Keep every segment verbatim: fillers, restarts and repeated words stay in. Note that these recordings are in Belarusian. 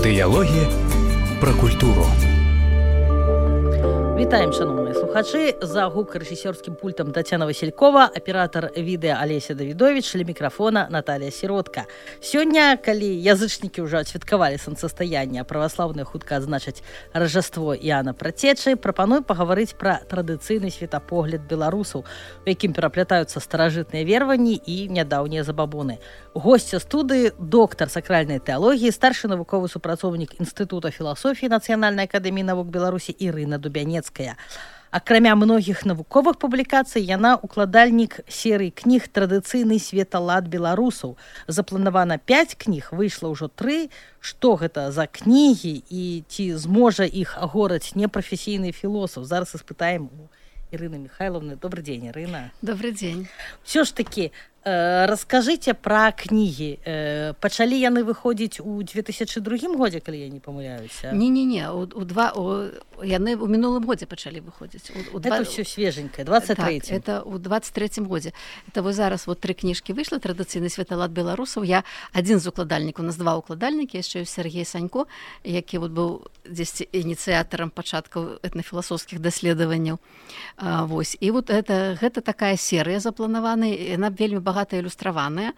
Дыялогі пра культуру. Вітаем, шановныя слухачы. За гукарэжысёрскім пультам Тацяна Васількова, аператар відэа Алеся Давідовіч, ля мікрафона Наталія Сіротка. Сёння, калі язычнікі ўжо адсвяткавалі сонцастаянне, а праваслаўныя хутка адзначаць Ражаство Іана Працечы, прапаную пагаварыць пра традыцыйны светапогляд беларусаў, у якім пераплятаюцца старажытныя вераванні і нядаўнія забабоны. Госця студыі, доктар сакральнай тэалогіі, старшы навуковы супрацоўнік Інстытута філасофіі Нацыянальнай акадэміі навук Беларусі Ірына Дубянецкая. Акрамя многіх навуковых публікацый, яна укладальнік серыі кніг «Традыцыйны светалад беларусаў». Запланавана пяць кніг, выйшла ўжо тры. Што гэта за кнігі і ці зможа іх агораць непрафесійны філосаф? Зараз испытаем у Ірыны Михайловны. Добрый день, Ірына. Добрый день. Все ж таки, э, раскажыце пра кнігі. Э, пачалі яны выходзіць у две тысячы другім годзе, калі я не памыляюся? Не-не-не, у, у два, у, яны ў мінулым годзе пачалі выходзіць. У, у это два... все свеженькое, двадцать третьем. Так, это у двадцать третьем годзе. Это вот зараз вот тры кніжкі выйшла, традыцыйны светалад беларусаў. Я адзін з укладальнікаў, у нас два укладальнікі, яшчэ Сергей Санько, які вот быў дзесьці ініцыятарам пачаткаў этнафіласофскіх даследаванняў. А, вось. І вот это, гэта такая серыя запланаваная, яна вельмі багата ілюстраваная.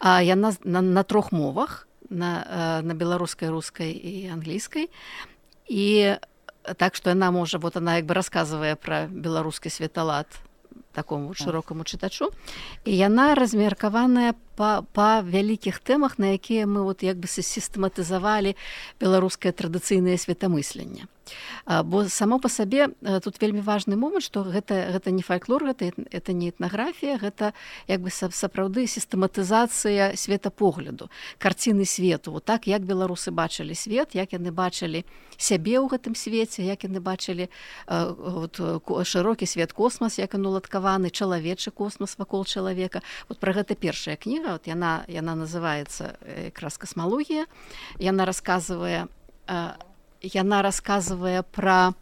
А, яна на, на трох мовах, на, на беларускай, рускай і англійскай. І так што яна можа, вот она як бы расказвае пра беларускі светалад такому вот шырокаму чытачу. І яна размеркаваная па, па вялікіх тэмах, на якія мы вот як бы сістэматызавалі беларускае традыцыйнае светамысленне. Бо само па сабе тут вельмі важны момант, што гэта, гэта не фальклор, гэта, это не этнаграфія, гэта як бы сапраўды сістэматызацыя светапогляду, карціны свету. Вот так, як беларусы бачылі свет, як яны бачылі сябе ў гэтым свеце, як яны бачылі вот, шырокі свет, космас, як ён уладкаваны, чалавечы космас вакол чалавека. Вот пра гэта першая кніга, вот яна, яна называецца якраз «Касмалогія». Яна расказвае яна расказвае пра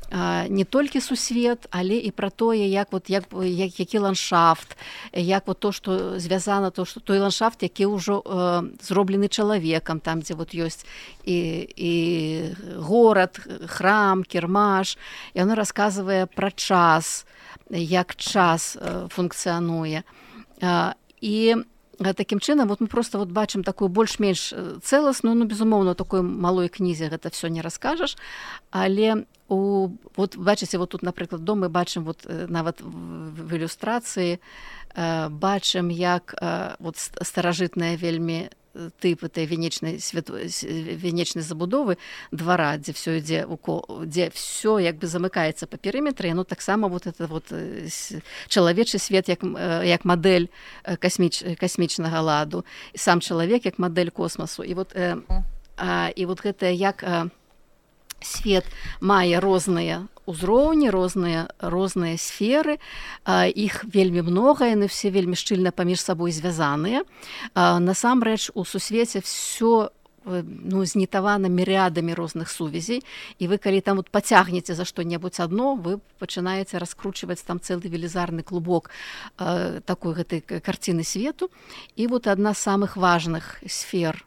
а, не толькі сусвет, але і пра тое, як вот як, як які ландшафт, як вот то, што звязана, то што той ландшафт, які ўжо э, зроблены чалавекам, там дзе вот ёсць і, і горад, храм, кірмаш. Яна расказвае пра час, як час э, функцыянуе. А, і такім чынам вот мы просто вот бачым такую больш-менш цэласную, ну безумоўна, такой малой кнізе гэта все не раскажаш, але у вот бачыце, вот тут, напрыклад, дом мы бачым вот нават в, в ілюстрацыі э, бачым, як э, вот старажытная вельмі тып этой венечнай свет... венечнай забудовы двара, дзе все ідзе дзе все як бы замыкаецца па перыметры, ну таксама вот это вот чалавечы свет як, як мадэль касміч... касмічнага ладу, і сам чалавек як мадэль космасу. І вот, э, а, і вот гэта як а, свет мае розныя узроўні, розныя, розныя сферы, а, іх вельмі многа, яны все вельмі шчыльна паміж сабой звязаныя. А, насамрэч у сусвеце все ну, знітавана мірыадамі розных сувязей, і вы калі там вот пацягнеце за што-небудзь адно, вы пачынаеце раскручваць там цэлы велізарны клубок а, такой гэтай карціны свету. І вот адна з самых важных сфер,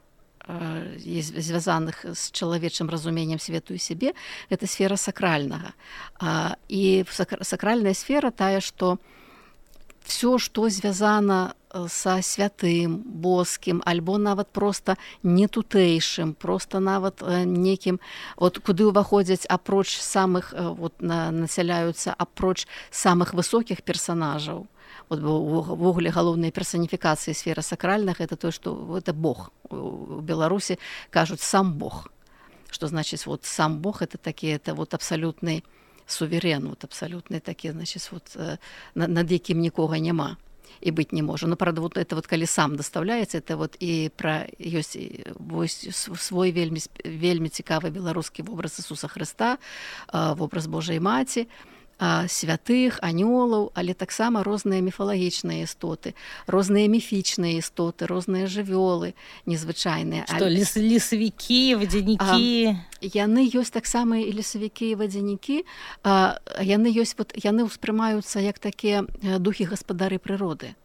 звязаных з чалавечым разуменнем свету і сябе, гэта сфера сакральнага. І сакральная сфера тая, што все, што звязана са святым, боскім, альбо нават проста не тутэйшым, проста нават некім, от куды ўваходзяць апроч самых, вот, насяляюцца апроч самых высокіх персанажаў. Вот в угле галоўнай персоніфікацыі сфера сакральных, это то, что это Бог. У Беларусі кажуць сам Бог. Что значит вот сам Бог, это такі, это вот абсалютны суверен, вот абсалютны такі, значит, вот над якім нікога няма і быць не можа. Ну, правда, вот это вот калі сам даставляецца, это вот і пра ёсць свой вельмі вельмі цікавы беларускі вобраз Ісуса Хрыста, вобраз Божай Маці, святых, анёлаў, але таксама розныя міфалагічныя істоты, розныя міфічныя істоты, розныя жывёлы незвычайныя. Што, лес, лесавікі, вадзянікі? Яны ёсць таксама і лесавікі, і вадзянікі. А, яны ёсць, вот, яны ўспрымаюцца як такія духі гаспадары прыроды.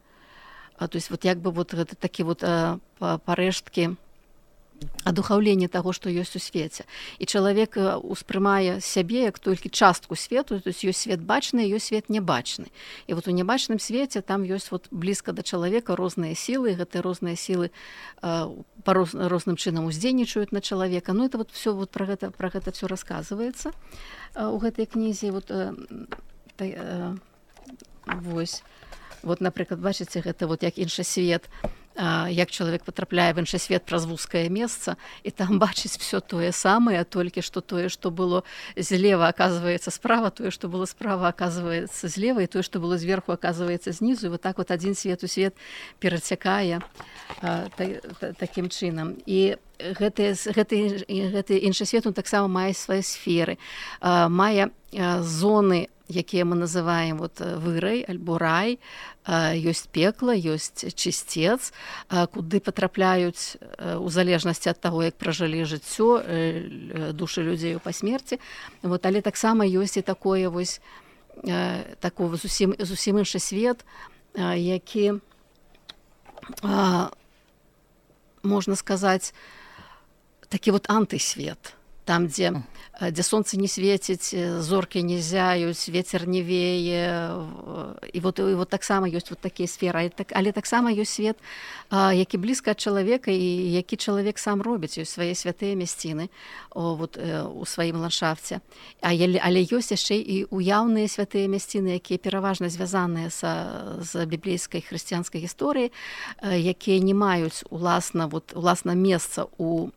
А, то есть вот як бы вот гэта такі вот а, парэшткі адухаўленне таго, што ёсць у свеце. І чалавек успрымае сябе як толькі частку свету, то есть ёсць свет бачны, ёсць свет небачны. І вот у небачным свеце там ёсць вот блізка да чалавека розныя сілы, гэтыя розныя сілы па роз, розным чынам уздзейнічаюць на чалавека. Ну это вот всё вот про гэта про гэта всё расказваецца у гэтай кнізе. Вот та, вось вот, напрыклад, бачыце, гэта вот як іншы свет, як чалавек патрапляе в іншы свет праз вузкае месца, і там бачыць все тое самае, толькі што тое, што было злева, аказваецца справа, тое, што было справа, аказваецца злева, і тое, што было зверху, аказваецца знізу. І вот так вот адзін свет у свет перацякае та, та, такім чынам. І гэты, гэты, гэты іншы свет, он таксама мае свае сферы, мае зоны, якія мы называем вот вырай альбо рай, ёсць пекла, ёсць чысцец, куды патрапляюць у залежнасці ад таго, як пражылі жыццё душы людзей па смерці. Вот, але таксама ёсць і такое вось такой зусім, зусім іншы свет, які, можна сказаць, такі вот антысвет, там, дзе дзе сонца не свеціць, зоркі не зяюць, вецер не вее, і вот, і вот таксама ёсць вот такія сферы, але таксама ёсць свет, які блізка ад чалавека і які чалавек сам робіць, ёсць свае святыя мясціны вот, у сваім ландшафце. Але ёсць яшчэ і уяўныя святыя мясціны, якія пераважна звязаныя са, з біблейскай хрысціянскай гісторыяй, якія не маюць уласна, вот, уласна месца у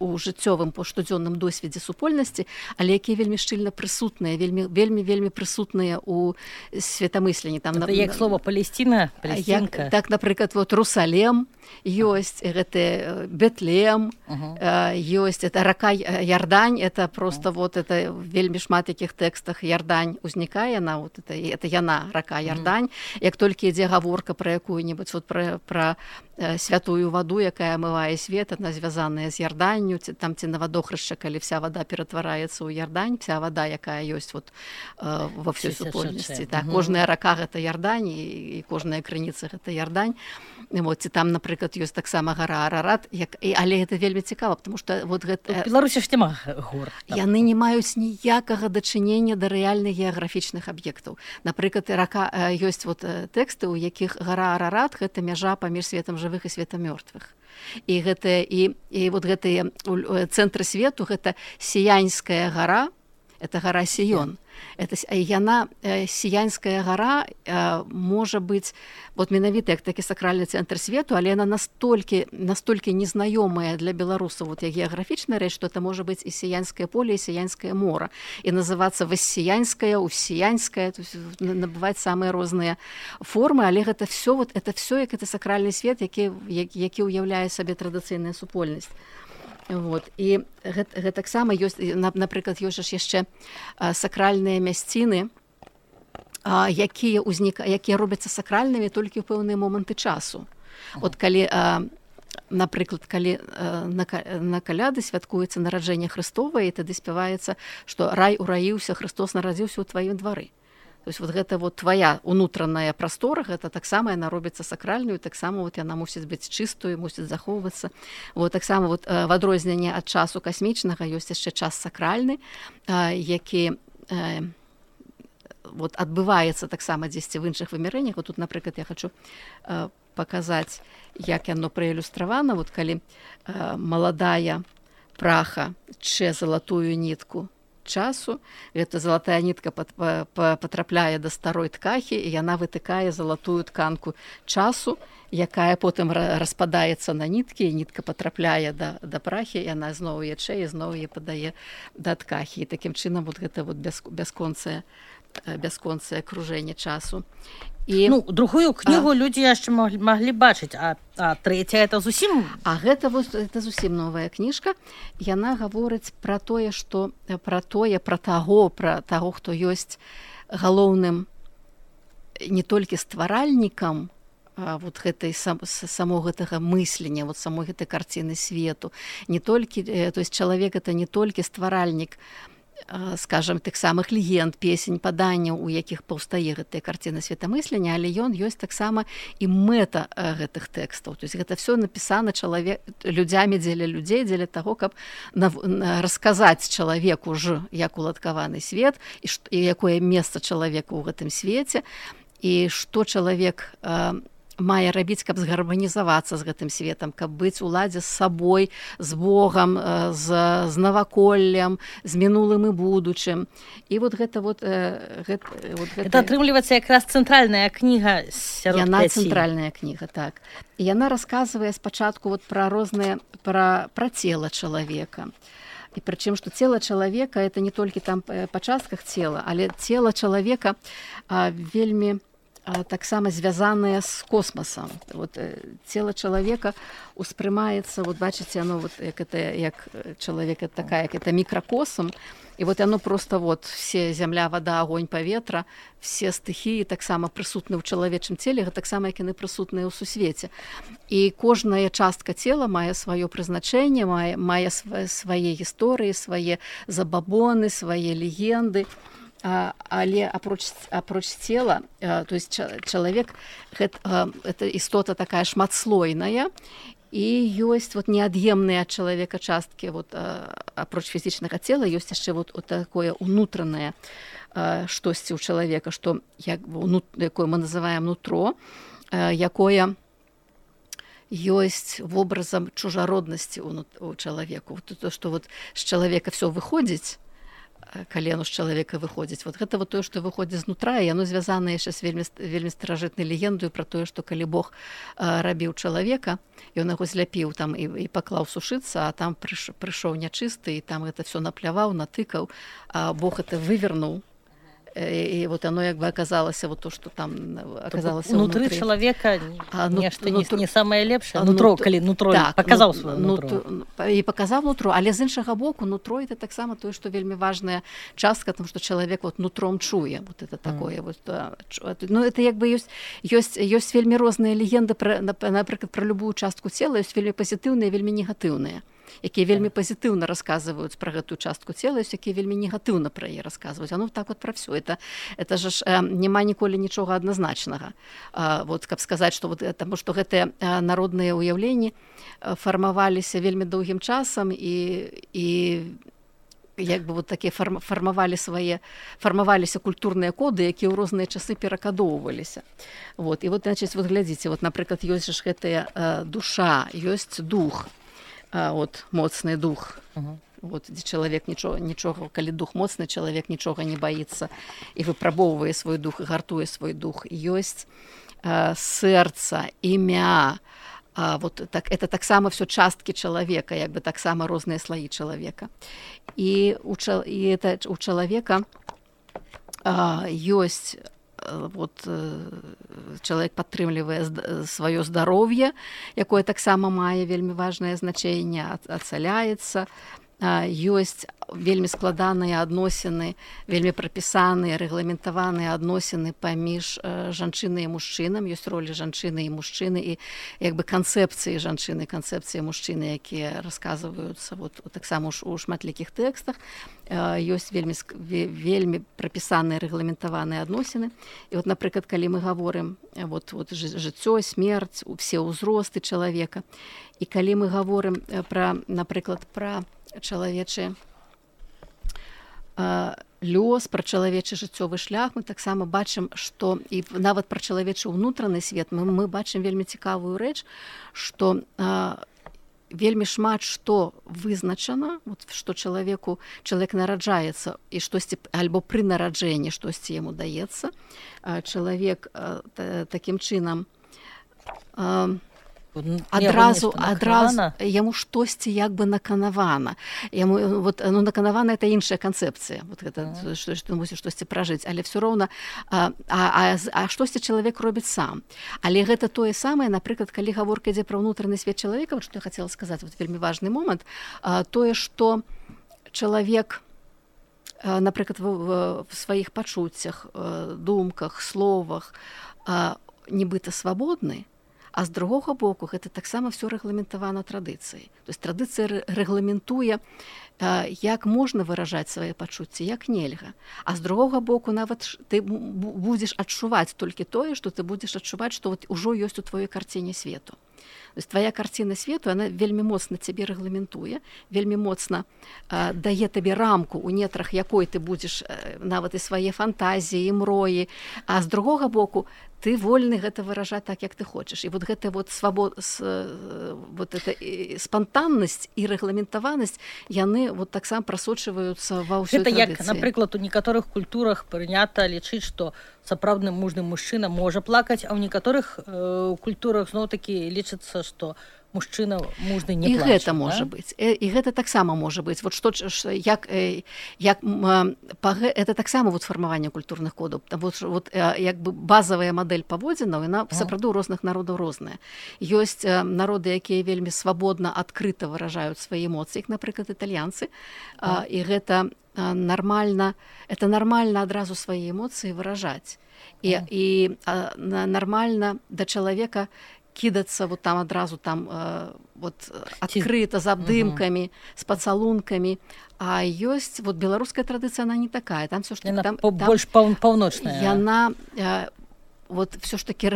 у жыццёвым по штодзённым досведзе супольнасці, але якія вельмі шчыльна прысутныя, вельмі вельмі вельмі прысутныя у светамысленні. Там это як слова Палесціна, Палесцінка. Так, напрыклад, вот Русалем ёсць, гэты Бетлем, uh-huh. ёсць, это рака Ярдань, это просто uh-huh. вот это вельмі шмат якіх тэкстах Ярдань узнікае, на вот это, это яна, рака Ярдань. Uh-huh. Як толькі ідзе гаворка пра якую-небудзь вот пра, пра святую ваду, якая омывае свет, она звязаная з Ярданню, там ці на вадохрышча, калі вся вода ператвараецца ў Ярдань, вся вода, якая ёсць вот э, во всёй супольнасці. Так, угу. Кожная рака гэта Ярдань, і, і кожная крыніца гэта Ярдань. Вот, і там, напрыклад, ёсць таксама гара Арарат, як, і, але гэта вельмі цікава, потому что вот гэта... У Беларусі ж няма гор. Яны не маюць ніякага дачынення да рэальных геаграфічных аб'ектаў. Напрыклад, рака, ёсць вот тэксты, у якіх гара Арарат — гэта мяжа паміж светам жывых і светам мёртвых. І гэтыя і, і вот гэтыя цэнтры свету, гэта Сіянская гара, это гара Сіён. Это яна, Сіянская гара, можа быць вот менавіта як такі сакральны цэнтр свету, але яна настолькі настолькі незнаёмая для беларусаў вот як геаграфічная рэч, што это можа быць і Сіянскае поле, і Сіянскае мора, і называцца Вассіянская, Уссіянская, то есть набываць самыя розныя формы, але гэта все вот это все як это сакральны свет, які які ўяўляе сабе традыцыйная супольнасць. Вот. І гэта, гэта таксама ёсць, напрыклад, ёсць яшчэ сакральныя мясціны, якія, ўзнік... якія робяцца сакральнымі толькі ў пэўныя моманты часу. От калі, напрыклад, калі на, на каляды святкуецца нараджэнне Хрыстова, і тады спяваецца, што рай ураіўся, Христос нарадзіўся ў тваім двары. То есть вот гэта вот твоя унутраная прастора, гэта таксама яна робіцца сакральную, таксама вот яна мусіць быць чыстую, мусіць захоўвацца. Вот таксама вот в адрозненне ад часу касмічнага ёсць яшчэ час сакральны, які вот адбываецца таксама дзесьці в іншых вымярэннях. Вот тут, напрыклад, я хочу паказаць, як яно праілюстравана. Вот калі маладая праха чэ залатую нітку часу, эта залатая нітка патрапляе да старой ткахі, і яна вытыкае залатую тканку часу, якая потым распадаецца на ніткі, і нітка патрапляе да, да прахі, і яна зноў ячэ, і зноў яе падае да ткахі. І такім чынам вот гэта вот бясконцае бясконцае кружэнне часу. І... Ну, другую кнігу а... людзі яшчэ маглі, маглі бачыць, а, а трэця это зусім... А гэта, вот, это зусім новая кніжка. Яна гаворыць пра тое, што пра тое, пра таго, пра таго, хто ёсць галоўным не толькі стваральнікам вот гэтай сам, само гэтага мыслення, вот самой гэтай карціны свету. Не толькі, то есть чалавек это не толькі стваральнік скажем, тых самых легенд, песень, паданняў, у якіх паўстае гэтыя карціны светамыслення, але ён ёсць таксама і мэта гэтых тэкстаў. То есть гэта все напісана чалавек людзямі дзеля людзей, дзеля таго, каб расказаць чалавеку ж, як уладкаваны свет і, і якое месца чалавека ў гэтым свеце, і што чалавек мае рабіць, каб згарманізавацца з гэтым светам, каб быць у ладзе з сабой, з Богам, з, з наваколлем, з мінулым і будучым. І вот гэта вот... Гэта, вот гэта... Это атрымліваецца якраз цэнтральная кніга сярод яна пяці. Цэнтральная кніга, так. І яна расказвае спачатку вот пра розныя, пра, пра цела чалавека. І прычым, што цела чалавека, это не толькі там па частках цела, але цела чалавека а, вельмі таксама звязаныя з космасам. Вот, цела чалавека успрымаецца, вот бачыце, оно вот, як, это, як чалавек это такая, як это мікракосм, і вот оно просто вот все зямля, вада, агонь, паветра, все стыхіі таксама прысутны ў чалавечым целе, таксама як яны прысутныя ў сусвеце. І кожная частка цела мае сваё прызначэнне, мае, мае свае гісторыі, свае забабоны, свае легенды. А, але апроч, апроч цела, а, то есть чалавек гэта, а, это істота такая шматслойная, і ёсць вот неад'емныя ад чалавека часткі, вот, а, апроч фізічнага цела ёсць яшчэ вот, вот такое унутранае а, штосьці ў чалавека, што як, унут, якое мы называем нутро, а, якое ёсць вобразам чужароднасці ў, у чалавеку. Вот, то, што вот з чалавека все выходзіць, калі яно з чалавека выходзіць. Вот гэта вот тое, што выходзіць знутра, і яно звязана яшчэ з вельмі, вельмі старажытнай легендаю пра тое, што калі Бог а, рабіў чалавека, ён яго зляпіў там і, і паклаў сушыцца, а там прыш, прыйшоў нячысты, і там гэта все напляваў, натыкаў, а Бог это вывернуў. І вот оно як бы оказалася вот то, что там оказалася внутри внутри чалавека а, нешта ну, не, нутро, не самае лепшае нутро, нутро, калі нутро так, паказаў ну, сваё нутро. нутро і паказаў нутро, але з іншага боку нутро это таксама тое, што вельмі важная частка, тому што чалавек вот нутром чуе, вот это такое mm. вот, ну это як бы ёсць ёсць ёсць вельмі розныя легенды пра, напрыклад, пра любую частку цела, ёсць вельмі пазітыўныя, вельмі негатыўныя, якія вельмі пазітыўна расказваюць пра гэтую частку цела, ёсць якія вельмі негатыўна пра яе расказваюць. А ну так вот пра ўсё. Это, это ж э, няма ніколі нічога адназначнага. Э, вот, каб сказаць, што вот, таму што гэтыя э, народныя ўяўленні э, фармаваліся вельмі доўгім часам і, і як бы вот такія фарм, фармавалі свае, фармаваліся культурныя коды, якія ў розныя часы перакадоўваліся. Вот. І вот, значыць, вот глядзіце, вот, напрыклад, ёсць ж гэтая э, душа, ёсць дух, А, от, моцны дух. Uh-huh. Вот, дзе чалавек нічога, нічога, калі дух моцны, чалавек нічога не баіцца і выпрабоўвае свой дух, і гартуе свой дух. Ёсць а, сэрца, імя. А, вот, так, это таксама все часткі чалавека, як бы таксама розныя слаі чалавека. І у, і это, у чалавека а, ёсць вот, чалавек падтрымлівае сваё здароўе, якое таксама мае вельмі важнае значэнне, ацаляецца, ёсць вельмі складаныя адносіны, вельмі прапісаныя, рэгламентаваныя адносіны паміж жанчынай і мужчынам, ёсць ролі жанчыны і мужчыны, і як бы канцэпцыі жанчыны, канцэпцыі мужчыны, якія расказваюцца вот, таксама у шматлікіх тэкстах, ёсць вельмі, вельмі прапісаныя, рэгламентаваныя адносіны. І вот, напрыклад, калі мы гаворым вот, вот, жыццё, смерць, усе ўзросты чалавека, і калі мы гаворым пра, напрыклад, пра чалавечы э, лёс, пра чалавечы жыццёвы шлях, мы таксама бачым, што і нават пра чалавечы ўнутраны свет мы, мы бачым вельмі цікавую рэч, што э, вельмі шмат што вызначана, вот, што чалавеку чалавек нараджаецца і штосьці альбо пры нараджэнні штосьці яму даецца, э, чалавек э, такім чынам э, адразу адразу яму штосьці як бы наканавана, яму вот, ну, наканавана это іншая канцэпцыя, вот гэта mm. што, што мусіш штосьці пражыць, але все роўна а, а, а штосьці чалавек робіць сам. Але гэта тое самае, напрыклад, калі гаворка ідзе пра ўнутраны свет чалавека, вот, што я хацела сказаць, вот, вельмі важны момант, а, тое, што чалавек, а, напрыклад, в, в, в сваіх пачуццях, думках, словах а, нібыта свабодны, А з другога боку гэта таксама все рэгламентавана традыцыяй. То есть традыцыя рэгламентуе, як можна выражаць свае пачуцці, як нельга. А з другога боку нават ты будзеш адчуваць толькі тое, што ты будзеш адчуваць, што вот ужо ёсць у тваёй карціне свету. То есть твоя карціна свету, она вельмі моцна цябе рэгламентуе, вельмі моцна э, дае табе рамку, у нетрах якой ты будзеш э, нават і свае фантазіі, і мроі, а з другога боку ты вольны гэта выражаць так, як ты хочаш. І вот гэта вот свабод, с, вот это спантаннасць і рэгламентаванасць, яны вот таксама прасочваюцца ва ўсёй традыцыі. Гэта як, напрыклад, у некаторых культурах прынята лічыць, што сапраўдны мужны мужчына можа плакаць, а ў некаторых э, культурах зноў-такі лічыцца, што мужчына мужны не і плаче. Гэта можа да? быць. І гэта таксама можа быць. Вот што, як, як, это таксама вот фармаванне культурных кодаў. Вот, вот, як бы базавая мадэль паводзінаў, яна сапраўды ў розных народаў розная. Ёсць народы, якія вельмі свабодна, адкрыта выражаюць свае эмоцыі, як, напрыклад, італьянцы. А. І гэта нармальна, это нармальна адразу свае эмоцыі выражаць. І, а. і а, нармальна да чалавека кідацца вот там адразу там э, вот адкрыта з абдымкамі, з пацалункамі. А ёсць вот беларуская традыцыя, она не такая. Там всё ж таки там, там больш паўночная. Яна э, вот всё ж таки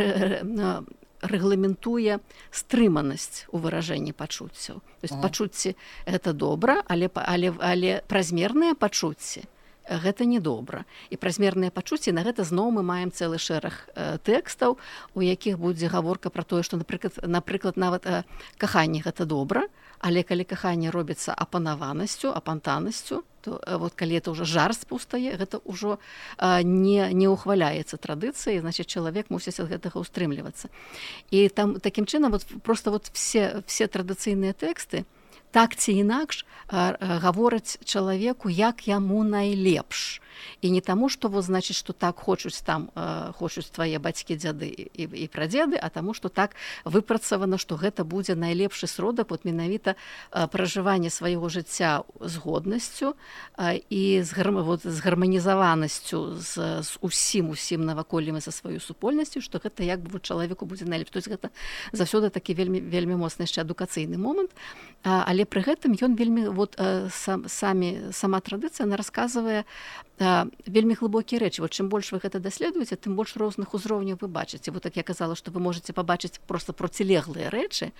рэгламентуе стрыманасць у выражэнні пачуццяў. То есть пачуцці гэта добра, але але але празмерныя пачуцці гэта недобра. І празмерныя пачуцці, на гэта зноў мы маем цэлы шэраг э, тэкстаў, у якіх будзе гаворка пра тое, што, напрыклад, напрыклад нават э, каханне гэта добра, але калі каханне робіцца апанаванасцю, апантанасцю, то э, вот калі это ўжо жарт пустае, гэта ўжо э, не, не ухваляецца традыцыяй, значит, чалавек мусіць ад гэтага ўстрымлівацца. І там такім чынам вот, просто вот все, все традыцыйныя тэксты так ці інакш гавораць чалавеку, як яму найлепш. І не таму, што вот, значит, што так хочуць там хочуць твае бацькі, дзяды і, і прадзеды, а таму, што так выпрацавана, што гэта будзе найлепшы сродак вот менавіта пражывання свайго жыцця з годнасцю і з, гарм, вот, з гарманізаванасцю з, з усім усім наваколлем і за сваю супольнасцю, што гэта як бы вот, чалавеку будзе найлепш. То есть гэта заўсёды такі вельмі вельмі моцны яшчэ адукацыйны момант, але пры гэтым ён вельмі вот сам, самі сама традыцыя она расказвае вельмі глыбокія рэчы. Вот чым больш вы гэта даследуеце, тым больш розных узроўняў вы бачыце. Вот так я казала, што вы можете пабачыць просто процілеглыя рэчы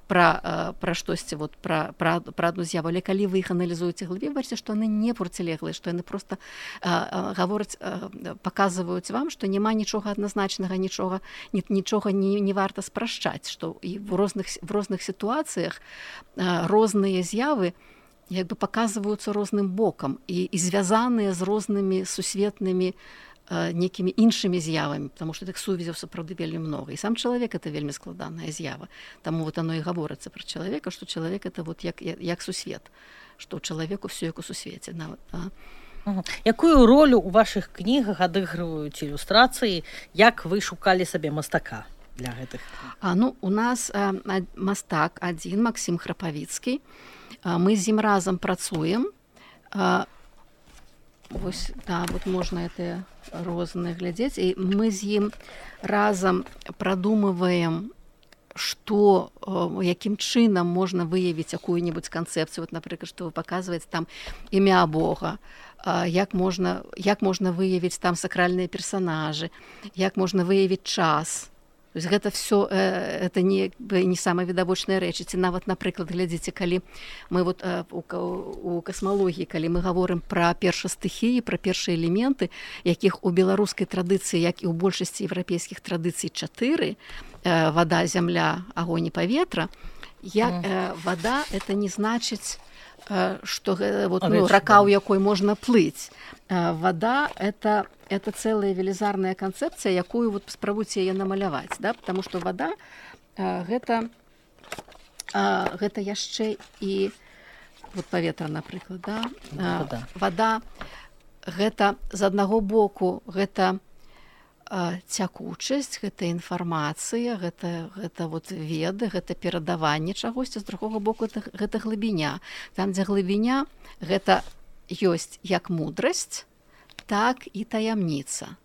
пра, пра штосьці, вот, пра, пра, пра адну з'яву, але калі вы іх аналізуеце глыбей, бачыце, што яны не процілеглыя, што яны просто а, гавораць, а, паказваюць вам, што няма нічога адназначнага, нічога, нічога не, не варта спрашчаць, што і в розных, в розных сітуацыях а, розныя з'явы як бы паказваюцца розным бокам і, і звязаныя з рознымі сусветнымі э, некімі іншымі з'явамі, потому што тых сувязяў сапраўды вельмі многа. І сам чалавек это вельмі складаная з'ява. Таму вот оно і гаворыцца пра чалавека, што чалавек это вот як, як, як сусвет, што ў чалавеку все як у сусвеце. Нават, а? Угу. Якую ролю ў вашых кнігах адыгрываюць ілюстрацыі, як вы шукалі сабе мастака для гэтых? А, ну, у нас э, мастак адзін, Максім Храпавіцкі. Мы з ім разам працуем. Вось, да, вот можна это розныя глядзець. І мы з ім разам прадумываем, што, якім чынам можна выявіць якую-небудзь канцэпцыю. Вот, напрыклад, што вы паказваеце там імя Бога, як можна, як можна выявіць там сакральныя персанажы, як можна выявіць час. То есть гэта все э, это не, не самыя відавочныя рэчы. Ці нават, напрыклад, глядзіце, калі мы вот, э, у, у касмалогіі, калі мы гаворым пра першастыхіі, пра першыя элементы, якіх у беларускай традыцыі, як і ў большасці еўрапейскіх традыцый чатыры, э, вада, зямля, агонь і паветра, як, э, вада это не значыць, што вот, ну, рака, у якой можна плыць. Вада это, это цэлая велізарная канцэпцыя, якую вот, спрабуйце яе намаляваць, да? Потому што вада гэта, гэта яшчэ і вот, паветра, напрыклад, да? Вада. Вада гэта з аднаго боку гэта цякучасць, гэта інфармацыя, гэта, гэта вот веды, гэта перадаванне чагосьці, з другога боку гэта, гэта глыбіня. Там, дзе глыбіня, гэта ёсць як мудрасць, так і таямніца.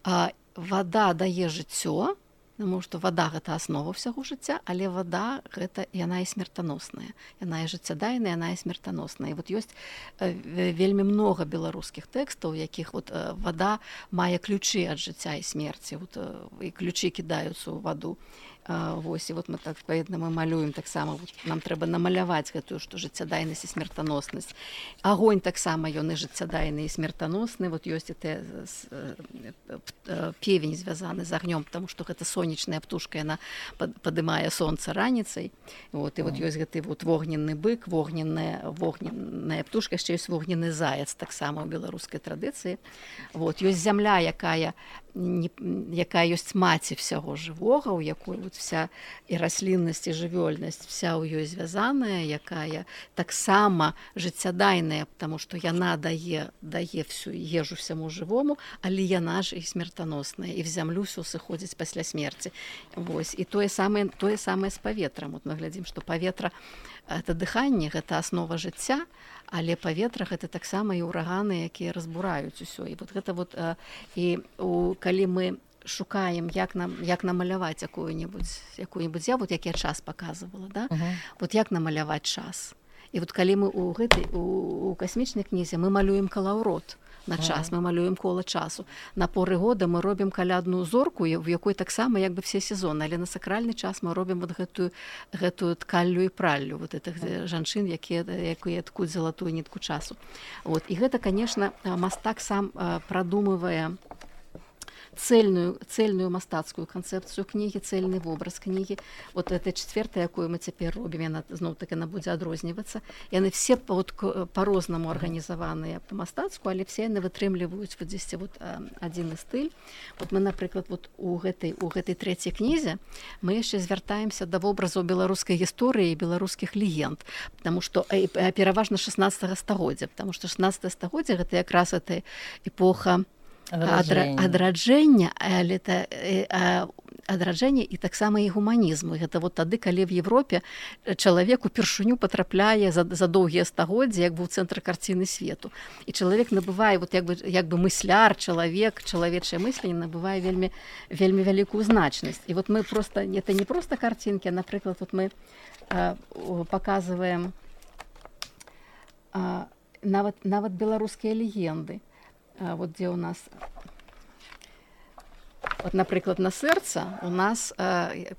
А, вада дае жыццё, Таму што вада гэта аснова ўсяго жыцця, але вада гэта яна і смертаносная. Яна і жыццядайная, яна і смертаносная. І вот ёсць вельмі многа беларускіх тэкстаў, якіх вот вада мае ключы ад жыцця і смерці. Вот, і ключы кідаюцца ў ваду. Вось, і вот мы так адпаведна мы малюем таксама, вот, нам трэба намаляваць гэтую, што жыццядайнасць і смертаноснасць. Агонь таксама ён і жыццядайны і смертаносны. Вот ёсць і те, певень звязаны з агнём, потому што гэта сонечная птушка, яна падымае сонца раніцай. Вот, і вот ёсць гэты вот вогненны бык, вогненная, вогненная птушка, яшчэ ёсць вогненны заяц таксама ў беларускай традыцыі. Вот, ёсць зямля, якая Не, якая ёсць маці ўсяго жывога, у якой вот вся і расліннасць і жывёльнасць вся ў ёй звязаная, якая таксама жыццядайная, потому што яна дае дае всю ежу всяму жывому, але яна ж і смертаносная, і в зямлю ўсё сыходзіць пасля смерці. Вось, і тое самае тое самае з паветрам. Вот мы глядзім, што паветра это дыханне, гэта аснова жыцця, але паветра гэта таксама і ўраганы, якія разбураюць усё. І вот гэта вот і у, калі мы шукаем, як нам як намаляваць якую-небудзь якую-небудзь я вот як я час показывала, да? Uh-huh. Вот як намаляваць час. І вот калі мы у гэтай у, у касмічнай кнізе мы малюем калаўрот на час, мы малюем кола часу. На поры года мы робім калядную зорку, в якой таксама як бы все сезоны, але на сакральны час мы робім вот гэтую гэтую ткаллю і праллю вот этих жанчын, якія якія ткуць залатую нітку часу. Вот, і гэта, конечно, мастак сам прадумывае цельную, цельную мастацкую канцэпцыю кнігі, цельны вобраз кнігі. Вот это четвертая, якую мы цяпер робім, яна зноў-таки яна будзе адрознівацца. Яны все вот, по-рознаму арганізаваныя па-мастацку, але все яны вытрымліваюць вот здесь вот адзіны стыль. Вот мы, напрыклад, вот у гэтай, у гэтай трэцяй кнізе мы яшчэ звяртаемся да вобразаў беларускай гісторыі і беларускіх легенд, потому что пераважна шаснаццатага стагоддзя, потому что шаснаццатае стагоддзе гэта якраз эта эпоха адраджэння, але это адраджэння і таксама і гуманізму. Гэта вот тады, калі в Европе чалавек упершыню потрапляе за, за доўгія стагоддзі як бы ў цэнтр карціны свету. І чалавек набывае вот як бы, як бы мысляр, чалавек, чалавечае мысленне набывае вельмі, вельмі вялікую значнасць. І вот мы просто, это не просто картинки, а, напрыклад, вот мы а, показываем а, нават, нават беларускія легенды. Вот где у нас, вот, напрыклад, на сэрца у нас э,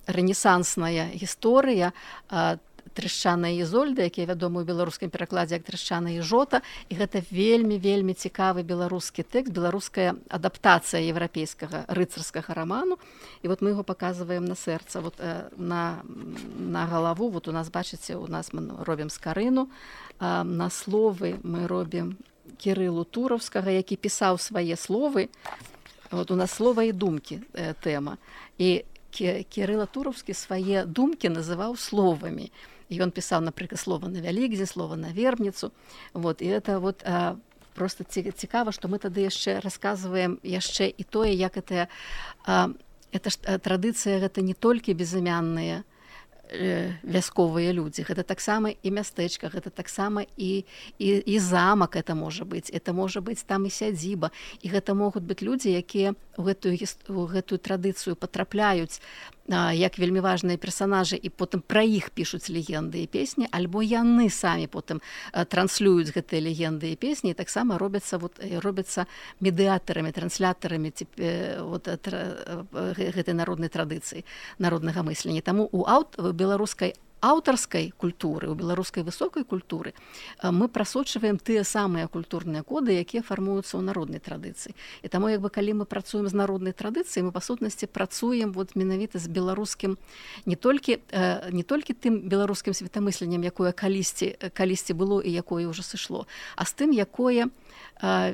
рэнесансная гісторыя э, Трышчана і Ізольда, якія вядомы ў беларускім перакладзе як Трышчана і Жота, і гэта вельмі-вельмі цікавы беларускі тэкст, беларуская адаптацыя еўрапейскага рыцарскага раману. І вот мы яго паказваем на сэрца, вот, э, на, на галаву, вот у нас, бачыце, у нас мы робім скарыну, э, на словы мы робім Кірылу Туровскага, які пісаў свае словы. Вот у нас слова і думкі э, тэма. І Кірыла Туровскі свае думкі называў словамі. І ён пісаў, напрыклад, слова на Вялікдзень, слова на Вербніцу. Вот, і это вот э, просто цікава, што мы тады яшчэ расказваем яшчэ і тое, як это, э, это ж, э, традыцыя гэта не толькі безымянныя вясковыя людзі, гэта таксама і мястэчка, гэта таксама і, і, і замак это можа быць, это можа быць там і сядзіба, і гэта могуць быць людзі, якія ў гэтую, у гэтую традыцыю патрапляюць а, як вельмі важныя персанажы, і потым пра іх пішуць легенды і песні, альбо яны самі потым а, транслююць гэтыя легенды і песні, і таксама робяцца, вот, робяцца медыятарамі, транслятарамі вот, гэтай народнай традыцыі, народнага мыслення. Таму у аут беларускай аўтарскай культуры, у беларускай высокай культуры мы прасочваем тыя самыя культурныя коды, якія фармуюцца ў народнай традыцыі. І таму, як бы, калі мы працуем з народнай традыцыяй, мы па сутнасці працуем вот менавіта з беларускім не толькі, не толькі тым беларускім светамысленнем, якое калісьці, калісьці было і якое ўжо сышло, а з тым, якое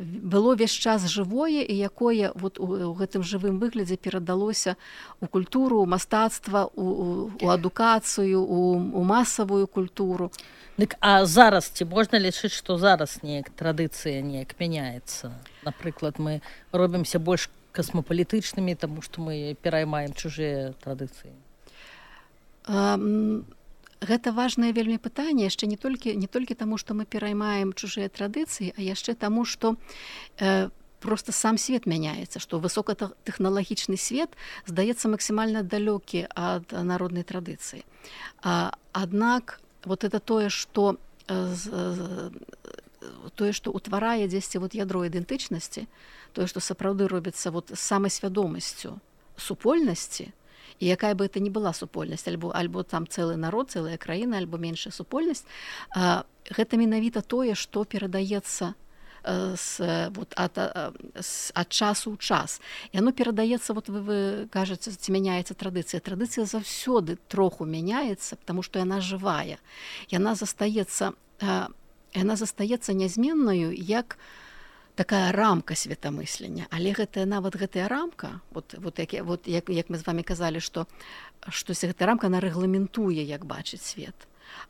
было весь час жывое і якое вот у, у гэтым жывым выглядзе перадалося у культуру, у мастацтва, у, у, у адукацыю, у, у масавую культуру. Дык, а зараз ці можна лічыць, што зараз неяк традыцыя неяк мяняецца? Напрыклад, мы робімся больш касмапалітычнымі, таму што мы пераймаем чужыя традыцыі. Um... Гэта важнае вельмі пытанне, яшчэ не толькі, не толькі таму, што мы пераймаем чужыя традыцыі, а яшчэ таму, што э, просто сам свет мяняецца, што высокатэхналагічны свет здаецца максімальна далёкі ад народнай традыцыі. Аднак вот это тое, што тое, што ўтварае дзесьці вот ядро ідэнтычнасці, тое, што сапраўды робіцца вот самай свядомасцю супольнасці, і якая бы это не была супольнасць, альбо, альбо там цэлы народ, цэлая краіна, альбо меншая супольнасць, гэта менавіта тое, што перадаецца С, вот, ад, с, ад часу ў час. І оно перадаецца, вот вы, вы кажаце, ці мяняецца традыцыя. Традыцыя заўсёды троху мяняецца, потому што яна жывая. Яна застаецца, яна застаецца нязменнаю, як такая рамка светамыслення. Але гэтая, нават гэтая рамка, вот, вот, як, вот, як, як мы з вами казалі, што, што гэтая рамка, она рэгламентуе, як бачыць свет.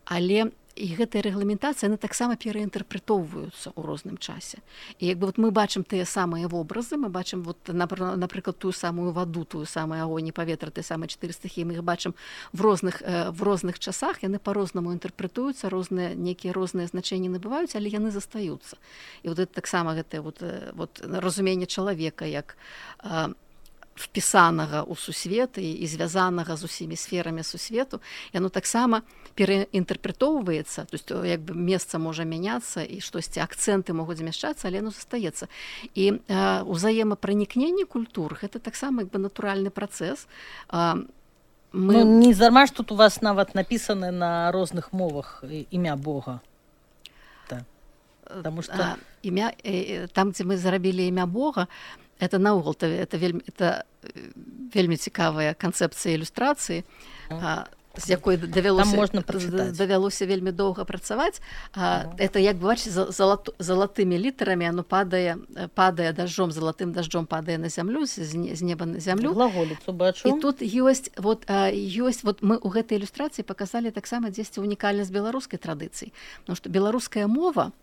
Але і гэтая рэгламентацыя, яны таксама пераінтэрпрэтоўваюцца ў розным часе. І як бы вот мы бачым тыя самыя вобразы, мы бачым вот, напрыклад, тую самую ваду, тую самую агонь і паветра, тыя самыя чатыры стыхіі, мы іх бачым в розных, в розных часах, яны па-рознаму інтэрпрэтуюцца, розныя, некія розныя значэнні набываюць, але яны застаюцца. І вот это таксама гэтае вот, вот, разуменне чалавека як впісанага ў сусвет і, і звязанага з усімі сферамі сусвету, яно таксама пераінтэрпрэтоўваецца, то есть як бы месца можа мяняцца і штосьці, акцэнты могуць змяшчацца, але яно застаецца. І э, узаемапранікненне культур — гэта таксама як бы натуральны працэс. Э, мы... Ну, не зарма ж тут у вас нават напісаны на розных мовах імя Бога. Да. Потому что... А, імя, э, там, дзе мы зарабілі імя Бога, это наогул, это вельмі, это вельмі цікавая канцэпцыя ілюстрацыі, а, з якой давялося, давялося вельмі доўга працаваць. А, это, як бачыць, залат, залатымі літарамі, оно падае, падае дажджом, залатым дажджом падае на зямлю, з, з неба на зямлю. Глаголіцу бачу. І тут ёсць, вот, ёсць, вот мы ў гэтай ілюстрацыі паказалі таксама дзесьці унікальнасць беларускай традыцыі, потому што беларуская мова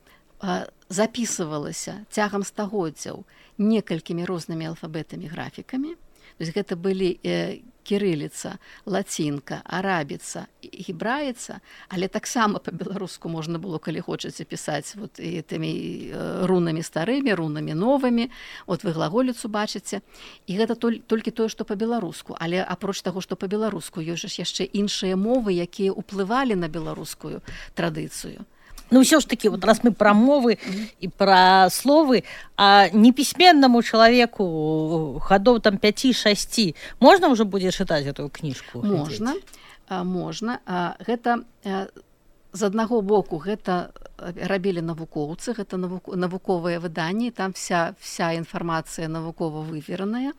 запісывалася цягам стагоддзяў некалькімі рознымі алфабетамі, графікамі. То есть гэта былі э, кірыліца, лацінка, арабіца, гебраіца, але таксама па-беларуску можна было, калі хочаце, пісаць вот, і тымі э, рунамі старымі, рунамі новымі. Вот вы глаголіцу бачыце. І гэта толь, толькі тое, што па-беларуску. Але апроч таго, што па-беларуску, ёсць ж яшчэ іншыя мовы, якія ўплывалі на беларускую традыцыю. Ну, все ж таки, вот раз мы про мовы mm-hmm. и про словы, а неписьменному человеку ходов там пяти-шасти, можно уже будет читать эту книжку? Можно, а, можно. А, гэта, а, з аднаго боку, гэта рабілі навукоўцы, гэта навук, навуковыя выданні, там вся, вся інфармацыя навукова вывераная,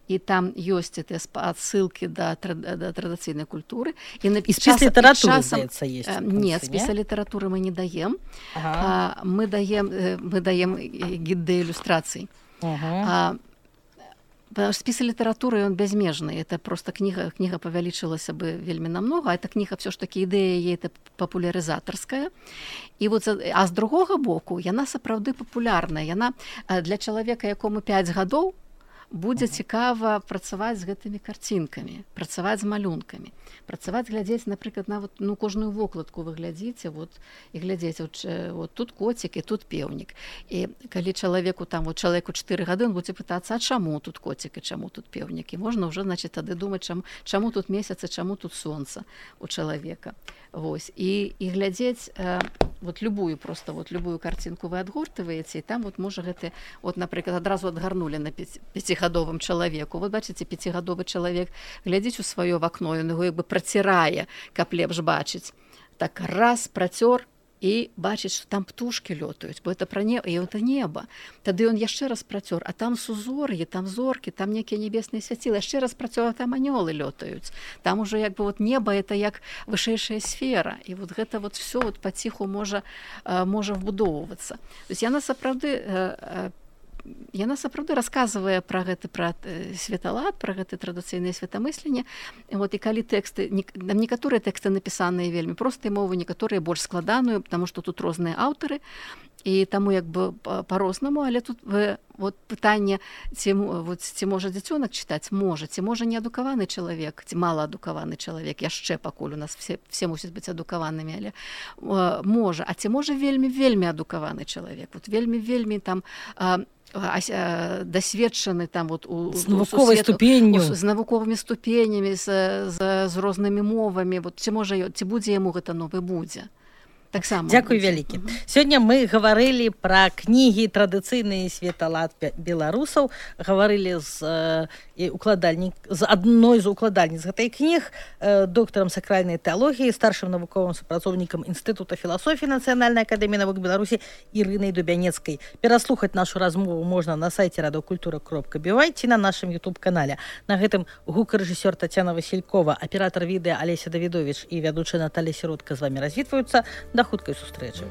і там ёсць гэтыя адсылкі да, да традыцыйнай культуры. І, на, і спецлітаратуры, здаецца, ёсць? Не, спецлітаратуры мы не даем. Ага. А, мы даем, мы даем гід да ілюстрацый. Ага. А, спіс літаратуры, ён бязмежны. Это просто кніга, кніга павялічылася бы вельмі намнога, а эта кніга все ж таки ідэя яе это папулярызатарская. І вот, а з другога боку, яна сапраўды папулярная. Яна для чалавека, якому пяць гадоў, будзе цікава працаваць з гэтымі карцінкамі, працаваць з малюнкамі, працаваць, глядзець, напрыклад, нават ну, кожную вокладку вы глядзіце, вот, і глядзець, вот, вот тут коцік і тут пеўнік. І калі чалавеку там, вот, чалавеку чатыры гады, он будзе пытацца, а чаму тут коцік і чаму тут пеўнік? І можна ўжо, значит, тады думаць, чаму, чаму тут месяц і чаму тут сонца у чалавека. Вось. І, і глядзець э, вот любую просто, вот любую карцінку вы адгортваеце, і там вот можа гэты, вот, напрыклад, адразу адгарнулі на пяцігадовым чалавеку. Вот бачыце, пяцігадовы чалавек глядзіць у сваё вакно, ён яго як бы працірае, каб лепш бачыць. Так раз працёр, і бачыць, што там птушкі лётаюць, бо это пра неба, і это неба. Тады ён яшчэ раз працёр, а там сузор'і, там зоркі, там некія небесныя свяцілы, яшчэ раз працёр, а там анёлы лётаюць. Там уже як бы вот неба это як вышэйшая сфера, і вот гэта вот всё вот паціху можа, можа вбудоўвацца. То есть яна сапраўды Яна сапраўды расказвае пра гэты пра светалад, пра гэты традыцыйнае светамысленне. Вот, і калі тэксты, некаторыя тэксты напісаныя вельмі простай мовай, некаторыя больш складаныя, потому што тут розныя аўтары. і таму як бы па-рознаму, але тут вы, вот пытанне, ці, вот, ці можа дзіцёнак чытаць, можа, ці можа неадукаваны чалавек, ці малаадукаваны чалавек, яшчэ пакуль у нас все, все мусяць быць адукаванымі, але э, можа, а ці можа вельмі-вельмі адукаваны чалавек, вот вельмі-вельмі там э, дасведчаны там вот у, з навуковай ступенню, з навуковымі ступенямі, з, з, з рознымі мовамі, вот, ці можа, ці будзе яму гэта новы будзе. Так само. Дзякуй вялікі. Сёння мы гаварылі пра кнігі традыцыйны светалад беларусаў, гаварылі з э, укладальнік з адной з укладальніц гэтай кніг, э, доктарам сакральнай тэалогіі, старшым навуковым супрацоўнікам Інстытута філасофіі Нацыянальнай акадэміі навук Беларусі Ірынай Дубянецкай. Пераслухаць нашу размову можна на сайце радыёкультура кропка бі вай ці на нашым ютуб-канале. На гэтым гукарэжысёр Тацяна Васількова, аператар відэа Алеся Давідовіч і вядучая Наталія Сіротка з вамі развітваюцца. До хуткай сустрэчы.